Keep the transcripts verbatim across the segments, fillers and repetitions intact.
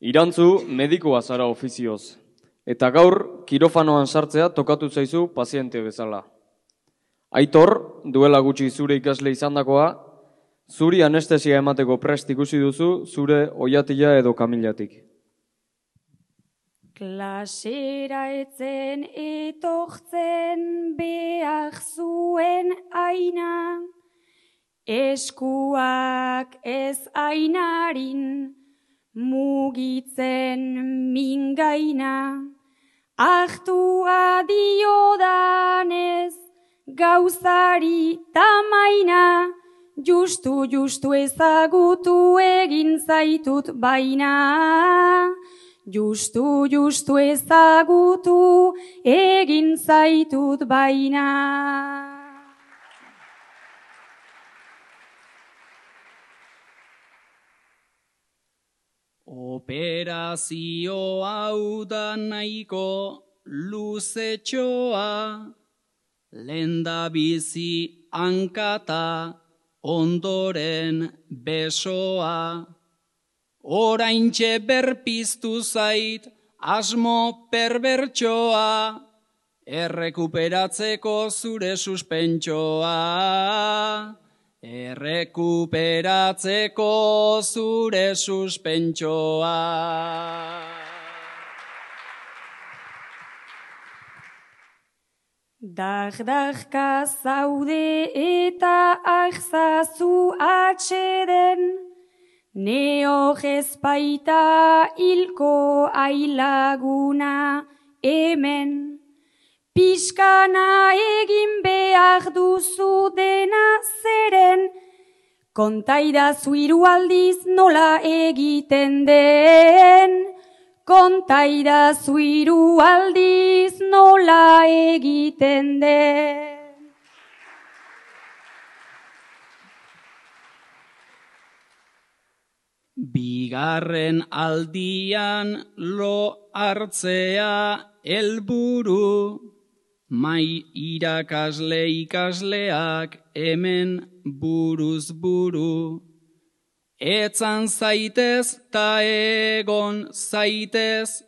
Irantzu medikoa zara ofizioz, eta gaur kirofanoan sartzea tokatu zaizu paziente bezala. Aitor, duela gutxi zure ikasle izandakoa, zuri anestesia emateko prest ikusi duzu zure oiatila edo kamilatik. Klasera etzen etortzen behar zuen aina, eskuak ez ainarin mugitzen mingaina, ahtua diodanez gauzari tamaina, justu justu ezagutu egin zaitut baina. Justu, justu ezagutu egin zaitut baina. Operazio hau da nahiko luzetxoa, lehendabizi hankata ondoren besoa. Oraintxe berpiztu zait asmo perbertsoa, errekuperatzeko zure suspentsoa. Errekuperatzeko zure suspentsoa. Dagdagka zaude eta ahzazu atxeden, neo jezpaita hilko ailaguna hemen. Piskana egin behar duzu dena zeren, kontaidazu hiru aldiz nola egiten den. Kontaidazu hiru aldiz nola egiten den. Bigarren aldian lo hartzea helburu, mai irakasle ikasleak hemen buruz buru. Etzan zaitez ta egon zaitez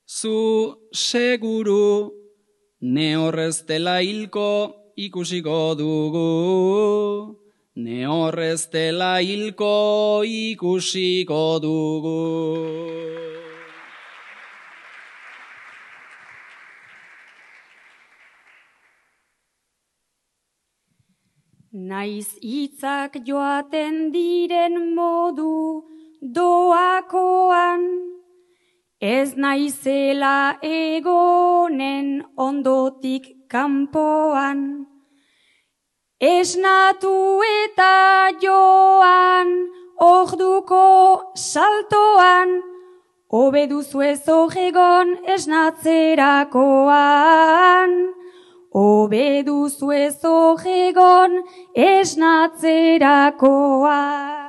zu seguru, ne horrez dela hilko ikusiko dugu. Ne horrez dela hilko ikusiko dugu. Naiz hitzak joaten diren modu doakoan, ez naizela egonen ondotik kanpoan. Esnatu eta joan orduko saltoan, hobe duzu ez egon esnatzerakoan. Hobe duzu ez egon esnatzerakoan.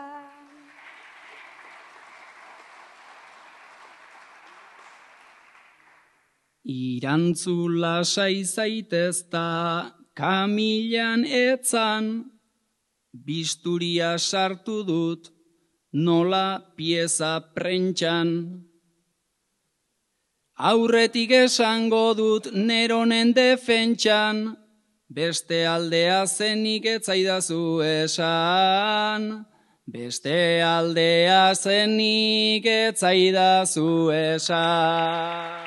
Irantzu lasai zaitez ta kamilan etzan, bisturia sartu dut nola pieza prentxan. Aurretik esango dut neronen defentsan, beste aldea zenik etzaidazu esan. Beste aldea zenik etzaidazu esan.